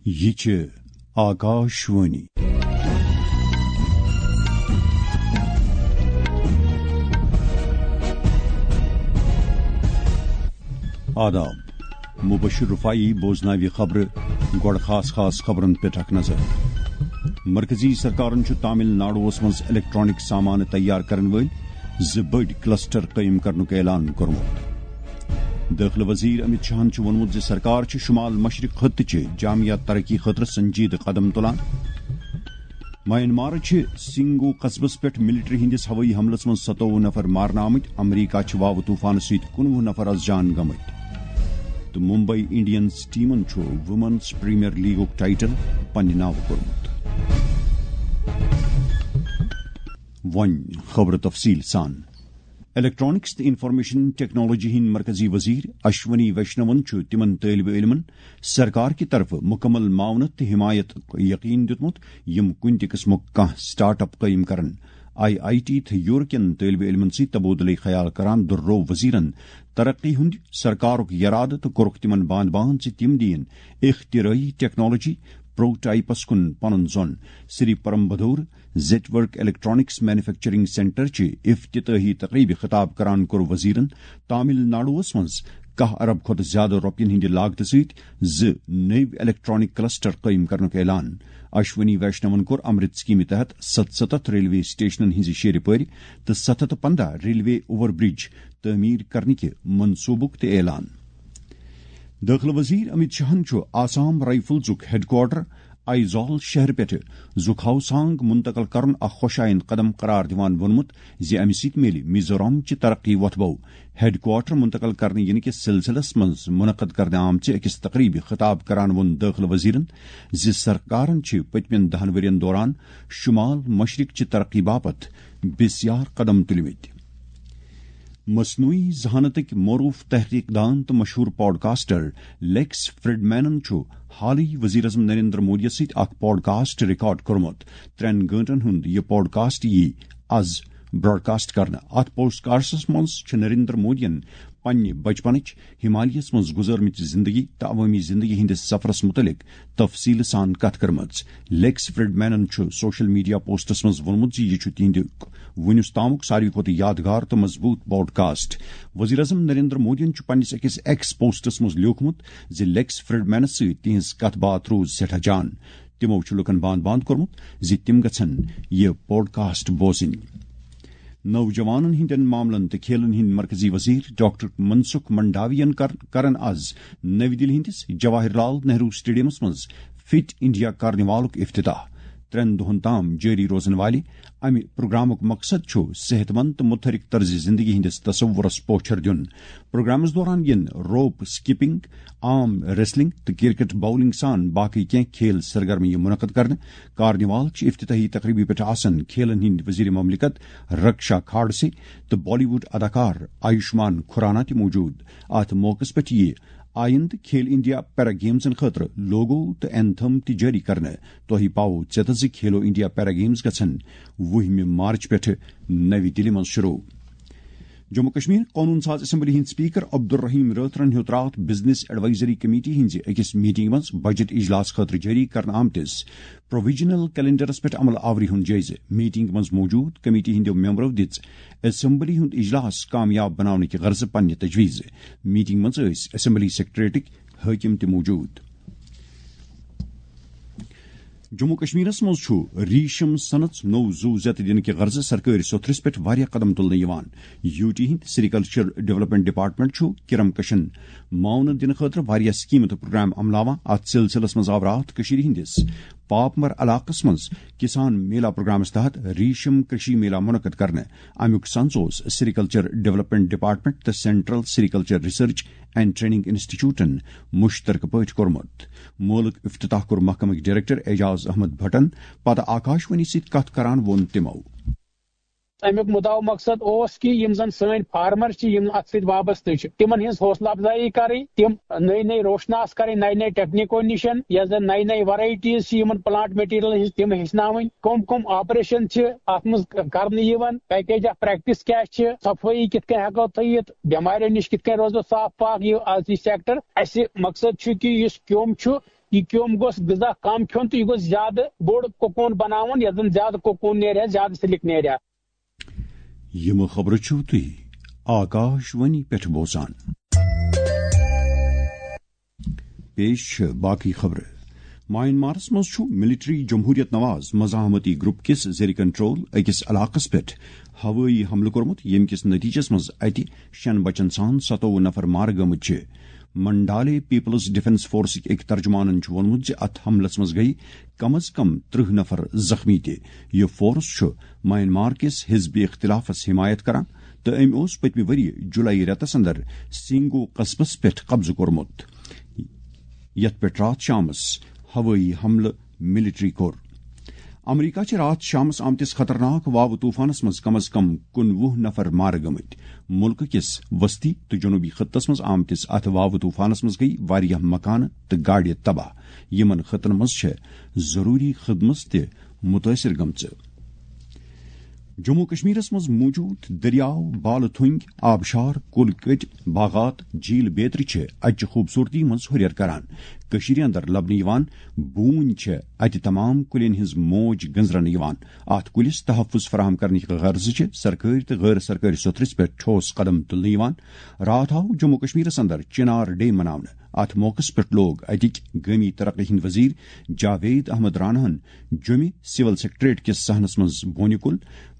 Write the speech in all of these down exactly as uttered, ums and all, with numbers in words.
یہِ چھِ آکاشوانی۔ آداب۔ مبشر رفاعی بوزناوِ خبرٕ۔ گۄڈٕ خاص خاص خبرن پٮ۪ٹھ اکھ نظر۔ مرکزی سرکارن چھُ تامل ناڈوہس منٛز الیکٹرانک سامان تیار کرن وٲلۍ زٕ بٔڑۍ کلسٹر قٲیِم کرنُک اعلان کوٚرمُت۔ دٲخلہٕ وزیر امت شاہن چھُ ووٚنمُت زِ سرکار چھِ شمال مشرق خطہٕ چہِ جامعہ ترقی خٲطرٕ سنجیدٕ قدم تُلان۔ میانمارٕ چھِ سنگو قصبس پٮ۪ٹھ ملٹری ہٕنٛدِس ہوٲیی حملس منٛز ستووُہ نفر مارنہٕ آمٕتۍ۔ امریکہ چھِ واوٕ طوفانہٕ سۭتۍ کُنوُہ نفر از جان گٔمٕتۍ۔ تہٕ ممبئی انڈینز ٹیمن چھُ وومنز پریمیئر لیگُک ٹائٹل پننہِ ناوٕ کوٚرمُت۔ وۄنۍ خبرٕ تفصیل سان۔ الیکٹرانکس تہٕ انفارمیشن ٹیکنالوجی ہٕنٛدۍ مرکزی وزیر اشونی ویشنون چھُ تِمن طٲلبہِ علمن سرکار کہِ طرفہٕ مکمل معاونت تہٕ حمایت یقین دیُتمُت، یِم کُنہِ تہِ قٕسمُک کانٛہہ سٹارٹ اپ قٲیِم کرن۔ آئی آئی ٹی تہٕ یورکین طٲلبہِ علمن سۭتۍ تبادلہٕ خیال کران دۄہروو وزیرن ترقی ہُنٛد سرکارُک یرادٕ تہٕ کوٚرُکھ تِمن باند باند زِ تِم دِیِن اختراعی ٹیکنالوجی پروٹوٹائپس کُن پنُن زون۔ سری پرمبدور زیٹ ورک الیکٹرانکس مینوفیکچرنگ سینٹر چہِ افتتاحی تقریبہِ خطاب کران کوٚر وزیرن تامل ناڈوہس منٛز کاہ ارب کھۄتہٕ زیادٕ رۄپین ہٕنٛدِ لاگتہٕ سۭتۍ زٕ نٔوۍ الیکٹرانک کلسٹر قٲیِم کرنُک اعلان۔ اشونی ویشنون کوٚر امرت سکیمہِ تحت ستستھ ریلوے سٹیشنن ہٕنٛزِ شیرِ پٲرِ تہٕ ستھ ہتھ پنٛداہ ریلوے اوور برج تعمیٖر کرنٕکہِ منصوٗبُک تہِ اعلان۔ دٲخلہٕ وزیر امت شاہن چھُ آسام رائفلزُک ہیڈ کوارٹر آئیزال شہر پٮ۪ٹھٕ زُکھاوسانگ منتقل کرُن اکھ خۄشایند قدم قرار دِوان ووٚنمُت زِ امہِ سۭتۍ میلہِ میزورام چہِ ترقی وۄتھبو۔ ہیڈ کوارٹر منتقل کرنہٕ یِنہٕ کِس سلسلس منٛز منعقد کرنہٕ آمژِ أکِس تقریبہِ خطاب کران ووٚن دٲخلہٕ وزیرن زِ سرکارن چھِ پٔتمٮ۪ن دہن ؤرین دوران شمال مشرق چہِ ترقی باپتھ بسیار قدم تُلمٕتۍ۔ مصنوعی ذہانتٕکۍ معروف تحقیق دان تہٕ مشہوٗر پاڈکاسٹر لیکس فریڈمینن چھُ حالٕے وزیر اعظم نریندر مودیَس سۭتۍ اکھ پاڈکاسٹ ریکارڈ کوٚرمُت۔ ترٛٮ۪ن گٲنٹن ہُنٛد یہِ پاڈکاسٹ یِیہِ از براڈکاسٹ کرنہٕ۔ اتھ پوڈکاسٹس منٛز چھُ نریندر مودیَن پننہِ بچپنٕچ، ہمالیہس منٛز گزٲرمٕژ زندگی تہٕ عوٲمی زندگی ہٕنٛدِس سفرس مُتعلق تفصیل سان کتھ کٔرمٕژ۔ لیکس فریڈمینن چھُ سوشل میڈیا پوسٹس منٛز ووٚنمُت زِ یہِ چھُ تِہنٛدِ وُنیُس تامُک ساروی کھۄتہٕ یادگار تہٕ مضبوٗط پاڈکاسٹ۔ وزیر اعظم نریندر مودیَن چھُ پننِس أکِس ایکس پوسٹس منٛز لیوٗکھمُت زِ لیکس فریڈمینس سۭتۍ تِہنٛز کتھ باتھ روٗز سٮ۪ٹھاہ جان۔ تِمو چھُ لوٗکن باند باند کوٚرمُت زِ تِم گژھن یہِ پوڈکاسٹ بوزٕنۍ۔ نوجوانن ہٕنٛدٮ۪ن معاملن تہٕ کھیلن ہٕنٛدۍ مرکزی وزیر ڈاکٹر منسکھ منڈاویَن کر-، کرن از نٔوۍ دِلہِ ہٕنٛدِس جواہر لال نہروٗ سٹیڈیمس منٛز فٹ انڈیا کارنیوالُک افتتاح۔ ترٛٮ۪ن دۄہن تام جٲری روزن والہِ امہِ پروگرامُک مقصد چھُ صحت مند تہٕ متحرک طرز زندگی ہٕنٛدِس تصورس پوچھر دیُن۔ پروگرامس دوران یِن روپ سکپنگ، آرم ریسلنگ تہٕ کرکٹ باؤلنگ سان باقی کینٛہہ کھیل سرگرمی منعقد کرنہٕ۔ کارنیوال چہِ افتتاحی تقریبہِ پٮ۪ٹھ آسن کھیلن ہٕنٛدۍ وزیر مملکت رکشا کھاڈسے تہٕ بالی ووڈ اداکار آیوشمان کھرانا تہِ موجود۔ اتھ موقعس پٮ۪ٹھ یِیہِ آیندٕ کھیل انڈیا پیرا گیمزن خٲطرٕ لوگو تہٕ اینتھم تہِ جٲری کرنہٕ۔ تۄہہِ پاوو ژیتس زِ کھیلو انڈیا پیرا گیمز گژھن وُہمہِ مارچ پٮ۪ٹھٕ نَوِ دِلہِ منٛز شروع۔ جموں کشمیر قونوٗن ساز اسمبلی ہٕنٛدۍ سپیکر عبدالرحیم رٲتھرن ہیوٚت راتھ بزنس ایڈوائزری کمیٹی ہٕنٛزِ أکِس میٹنگہِ منٛز بجٹ اجلاس خٲطرٕ جٲری کرنہٕ آمتِس پروویژنل کیلنڈرس پٮ۪ٹھ عمل آوری ہُنٛد جٲیزٕ۔ میٹنگ منٛز موجود کمیٹی ہٕنٛدیو ممبرو دِژ اسمبلی ہُنٛد اجلاس کامیاب بناونٕکہِ غرضہٕ پننہِ تجویزٕ۔ میٹنگ منٛز ٲسۍ اسمبلی سیکرٹریٹٕکۍ حٲکم تہِ موجود۔ جموں کشمیرس منٛز چھُ ریشم صنعت نوٚو زُو زیتہٕ دِنہٕ کہِ غرضہٕ سرکٲرۍ سوٚتھرِس پٮ۪ٹھ واریاہ قدم تُلنہٕ یِوان۔ یو ٹی ہٕنٛدۍ سیریکلچر ڈیولپمنٹ ڈپارٹمنٹ چھُ کرم کشن معاونہٕ دِنہٕ خٲطرٕ واریاہ سکیمہٕ تہٕ پروگرام عملاوان۔ اتھ سلسلس منٛز آو راتھ کٔشیٖرِ ہٕنٛدِس پاپمر علاقس منٛز کسان میلا پروگرامس تحت ریشم کرشی میلا منعقد کرنہٕ۔ امیُک سنز اوس سیریکلچر ڈیولپمنٹ ڈپارٹمنٹ تہٕ سینٹرل سیریکلچر ریسرچ اینڈ ٹریننگ انسٹیٹیوٹن مشترکہٕ پٲٹھۍ کوٚرمُت۔ مولُک افتتاح کوٚر محکمٕکۍ ڈائریکٹر اعجاز احمد بھٹن۔ پتہٕ آکاشوانی سۭتۍ کتھ کران ووٚن تِمو۔ امیُک مدعا و مقصد اوس کہِ یِم زن سٲنۍ فارمر چھِ، یِم اتھ سۭتۍ وابستہٕ چھِ، تِمن ہٕنٛز حوصلہٕ افزایی کرٕنۍ، تِم نٔے نٔے روشناس کرٕنۍ، نَیہِ نَیہِ ٹیکنیکو نِشن، یۄس زن نَیہِ نَیہِ ورایٹیز چھِ یِمن پلانٹ مٹیریلن ہٕنٛز، تِم ہیٚچھناوٕنۍ، کم کم آپریشن چھِ اتھ منٛز کرنہٕ یِوان، پیکیج آف پریکٹس کیاہ چھِ، صفٲیی کِتھ کٔنۍ ہیٚکو تھٲیِتھ، بٮ۪ماریو نِش کِتھ کٔنۍ روزو صاف پاک۔ یہِ از یہِ سیکٹر، اسہِ مقصد چھُ کہِ یُس کیوٚم چھُ، یہِ کیوٚم گوٚژھ غذا کم کھیوٚن تہٕ یہِ گوٚژھ زیادٕ بوٚڑ کوکون بناوُن، یتھ زن زیادٕ کوکون نیرِ ہا، زیادٕ سلک نیرِ ہا۔ یِم خبرٕ چھِو تُہۍ آکاش وانی پٮ۪ٹھ بوزان۔ پیش چھِ باقٕے خبرٕ۔ میانمارس منٛز چھُ ملٹری جمہوریت نواز مزاحمتی گروپ کِس زیر کنٹرول أکِس علاقس پٮ۪ٹھ ہوٲیی حملہٕ کوٚرمُت، ییٚمہِ کِس نتیجس منٛز اتہِ شٮ۪ن بچن سان ستووُہ نفر مارٕ گٔمٕتۍ چھِ۔ منڈالے پیپلز ڈیفنس فورسٕکۍ أکۍ ترجمانن چھُ ووٚنمُت زِ اتھ حملس منٛز گٔیہِ کم از کم ترٕہ نفر زخمی تہِ۔ یہِ فورس چھُ میانمار کِس حزب اختلافس حمایت کران تہٕ أمۍ اوس پٔتمہِ ؤرۍ یہِ جولائی رٮ۪تس اندر سینگو قصبس پٮ۪ٹھ قبضہٕ کوٚرمُت، یتھ پٮ۪ٹھ راتھ شامس ہوٲیی حملہٕ ملٹری کوٚر۔ امریکہ چھِ راتھ شامس آمتِس خطرناک واوٕ طوفانس منٛز کم از کم کُنوُہ نفر مارٕ گٔمٕتۍ۔ مُلکہٕ کِس وسطی تہٕ جنوٗبی خطس منٛز آمتِس اتھ واوٕ طوفانس منٛز گٔیہِ واریاہ مکانہٕ تہٕ گاڑِ تباہ۔ یِمن خطن منٛز چھےٚ ضروٗری خدمژ تہِ مُتٲثر گٔمژٕ۔ جموں کشمیرس منٛز موجود دٔریاو، بالہٕ تھوٚنٛگۍ، آبشار، کُلۍ کٔٹۍ، باغات، جھیل بیترِ چھِ اَتہِ چہِ خوٗبصوٗرتی منٛز ہُرٮ۪ر کران۔ کٔشیٖرِ اندر لبنہٕ یِوان بوٗنۍ چھےٚ اَتہِ تمام کُلٮ۪ن ہٕنٛز موج گٔنٛزراونہٕ یِوان۔ اَتھ کُلِس تحفظ فراہم کرنٕکہِ غرضہٕ چھِ سرکٲرۍ تہٕ غٲر سرکٲرۍ سطحس پٮ۪ٹھ ٹھوس قدم تُلنہٕ یِوان۔ راتھ آو جموں کشمیرس اندر چنار ڈے مناونہٕ۔ اَتھ موقعس پٮ۪ٹھ لوگ اَتِکۍ گٲمی ترقی ہٕنٛدۍ وزیر جاوید احمد راناہن جوٚمہِ سول سیکرٹریٹ کِس صحنس منٛز بونہِ کُل۔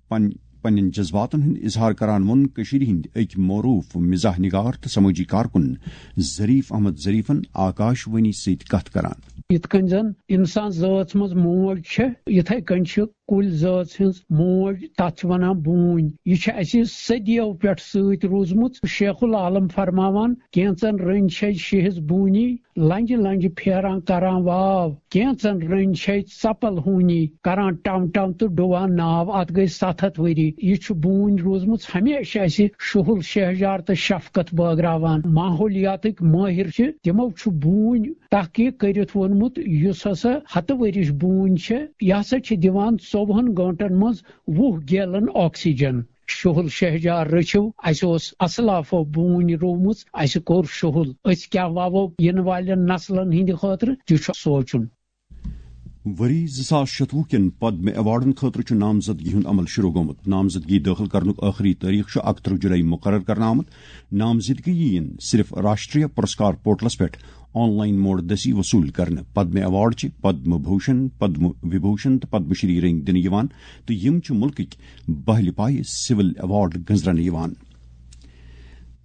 پن-، پننٮ۪ن جذباتن ہُنٛد اظہار کران ووٚن کٔشیٖرِ ہٕنٛدۍ أکۍ معروٗف مزاح نگار تہٕ سمٲجی کارکُن ظریف احمد ظریفن آکاش وانی سۭتۍ کتھ کران۔ یِتھ کٔنۍ زن انسان ذٲژ منٛز موج چھےٚ، یِتھے کٔنۍ چھِ کُلۍ ذٲژ ہٕنٛز موج، تتھ چھِ ونان بوٗنۍ۔ یہِ چھِ اسہِ صدیو پٮ۪ٹھ سۭتۍ روٗزمٕژ۔ شیخ العالم فرماوان، کینژن رٔنۍ چھے شیہس بوٗنی، لنجہِ لنجہِ پھیران کران واو، کینژن رٔنۍ چھے ژپل ہوٗنی، کران ٹم ٹم تہٕ ڈُوان ناو۔ اتھ گٔے ستھ ہتھ ؤری۔ یہِ چھُ بوٗنۍ روٗزمٕژ ہمیشہِ اسہِ شُہُل شہجار تہٕ شفقت بٲگراوان۔ ماحولیاتٕکۍ مٲہِر چھِ، تِمو چھُ بوٗنۍ تحقیق کٔرِتھ ووٚنمُت، یُس ہسا ہتہٕ ؤرِش بوٗنۍ چھےٚ، یہِ ہسا چھِ دِوان ژوٚوُہن گٲنٛٹن منٛز وُہ گیلن آکسیجن۔ شُہُل شہجار رٔچھِو، اسہِ اوس اسلافو بوٗنۍ رُومٕژ، اسہِ کوٚر شُہُل۔ أسۍ کیٛاہ وَوو یِنہٕ والٮ۪ن نسلن ہٕنٛدِ خٲطرٕ تہِ چھُ سونٛچُن۔ ؤری زٕ ساس شتوُہ کٮ۪ن پدم ایوارڈن خٲطرٕ چھُ نامزدگی ہُنٛد عمل شروع گوٚمُت۔ نامزدگی دٲخل کرنُک ٲخری تٲریخ چھُ اکترٕہ جولائی مُقرر کرنہٕ آمُت۔ نامزدگی یِن صرف راشٹریہ پُرسکار پورٹلس پٮ۪ٹھ آن لائن موڈ دٔسی وصوٗل کرنہٕ۔ پدم ایوارڈ چھِ پدم بھوشن، پدم وبھوشن تہٕ پدم شری رنگۍ دِنہٕ یِوان تہٕ یِم چھِ مُلکٕکۍ بہلہِ پایہِ سول ایوارڈ گٔنٛزراونہٕ یِوان۔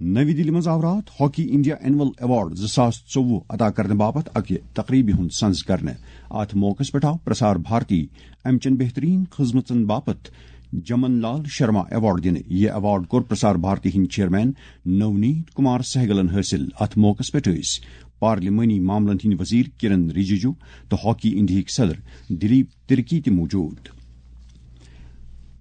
نٔوِ دِلہِ منٛز آو راتھ ہاکی انڈیا اینول ایوارڈ زٕ ساس ژوٚوُہ عطا کرنہٕ باپتھ اکہِ تقریبہِ ہُنٛد سنز کرنہٕ۔ اتھ موقعس پٮ۪ٹھ آو پرسار بھارتی امہِ چٮ۪ن بہترین خدمژن باپتھ جمن لال شرما ایوارڈ دِنہٕ۔ یہِ ایوارڈ کوٚر پرسار بھارتی ہٕنٛدۍ چیئرمین نونیت کمار سہگلن حٲصِل۔ اتھ موقعس پٮ۪ٹھ ٲسۍ پارلیمانی معاملن ہٕنٛدۍ وزیر کرن رجیجو تہٕ ہاکی انڈیہٕکۍ صدر دلیپ ترکی تہِ موجود۔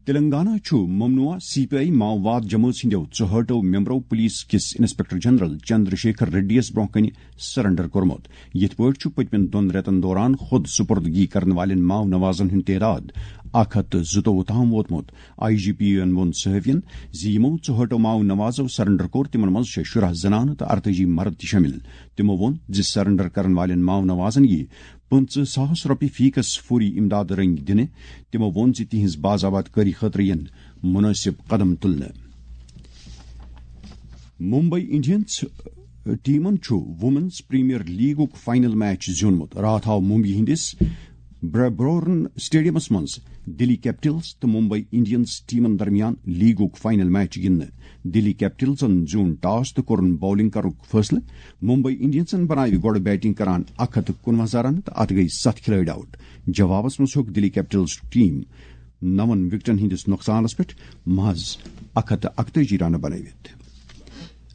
تلنگانہ چھُ ممنوعہ سی پی آئی ماؤواد جمٲژ ہٕنٛدیو ژُہٲٹھو ممبرو پولیس کِس انسپکٹر جنرل چندر شیکھر ریڈی یَس برٛونٛہہ کنہِ سرنڈر کوٚرمُت۔ یِتھ پٲٹھۍ چھُ پٔتمٮ۪ن دۄن رٮ۪تن دوران خود سپردگی کرن والٮ۪ن ماؤ نوازن ہُنٛد تعداد اکھ ہتھ تہٕ زٕتووُہ تام ووتمُت۔ آئی جی پی یَن ووٚن صحافین زِ یِمو ژُہٲٹھو ماؤ نوازو سرنڈر کوٚر، تِمن منٛز چھِ شُراہ زنانہٕ تہٕ ارتٲجی مرد تہِ شٲمِل۔ تِمو ووٚن زِ سرنڈر کرن والٮ۪ن ماؤ نوازن یِیہِ پٕنٛژٕہ ساس رۄپیہِ فی کس فوری امداد رنگۍ دِنہٕ۔ تِمو ووٚن زِ تِہنٛز باز آباد کٲری خٲطرٕ یِن مُنٲسِب قدم تُلنہٕ۔ ممبئی انڈینز ٹیمن چھُ وومنز پریمیئر لیگُک فائنل میچ زیوٗنمُت۔ راتھ آو ممبئی ہٕنٛدِس بربورن اسٹیڈیمس منٛز دِلی کیپٹلز تہٕ ممبئی انڈینز ٹیمن درمیان لیگُک فائنل میچ گِنٛدنہٕ۔ دِلی کیپٹلزن زیوٗن ٹاس تہٕ کوٚرُن باؤلنگ کرنُک فٲصلہٕ۔ ممبئی انڈینزن بناوِ گۄڈٕ بیٹنگ کران اکھ ہتھ تہٕ کُنوُہ رنہٕ تہٕ اتھ گٔیہِ ستھ کھلٲڑۍ آؤٹ۔ جوابس منٛز ہیوٚک دِلی کیپٹلز ٹیم نَوَن وکٹن ہٕنٛدِس نۄقصانس پٮ۪ٹھ محض اکھ ہتھ تہٕ اکتٲجی رنہٕ بنٲوِتھ۔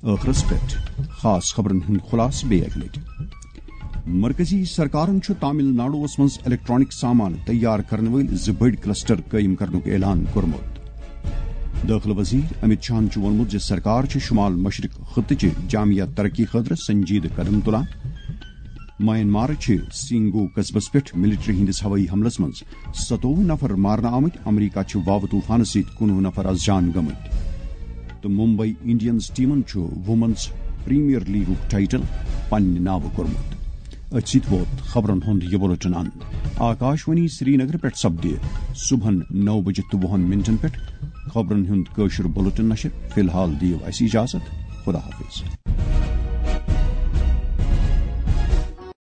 ٲخرس پٮ۪ٹھ خاص خبرن ہُنٛد خلاصہٕ بیٚیہِ اکہِ لٹہِ۔ مرکزی سرکارن چھُ تامل ناڈوَس منٛز الیکٹرانک سامان تیار کرن وٲلۍ زٕ بٔڑۍ کلسٹر قٲیِم کرنُک اعلان کوٚرمُت۔ دٲخلہٕ وزیر امت شاہن چھُ ووٚنمُت زِ سرکار چھِ شمال مشرق خطہٕ چہِ جامع ترقی خٲطرٕ سنجیدٕ قدم تُلان۔ میانمارٕ چھِ سینگو قصبس پٮ۪ٹھ ملٹری ہٕنٛدِس ہوٲیی حملس منٛز ستووُہ نفر مارنہٕ آمٕتۍ۔ امریکہ چھِ واوٕ طوفانہٕ سۭتۍ کُنوُہ نفر از جان گٔمٕتۍ۔ تہٕ ممبئی انڈینز ٹیمن چھُ وومنز پریمیئر لیگُک ٹائٹل پننہِ ناوٕ کوٚرمُت۔ أتھۍ سۭتۍ ووت خبرن ہُنٛد یہِ بُلٹن اند۔ آکاشوانی سرینگر پٮ۪ٹھ سپدِ صبحن نو بجہِ تہٕ وُہن منٹن پٮ۪ٹھ خبرن ہُنٛد کٲشُر بُلٹن نشر۔ فی الحال دِیِو اَسہِ اجازت۔ خدا حافظ۔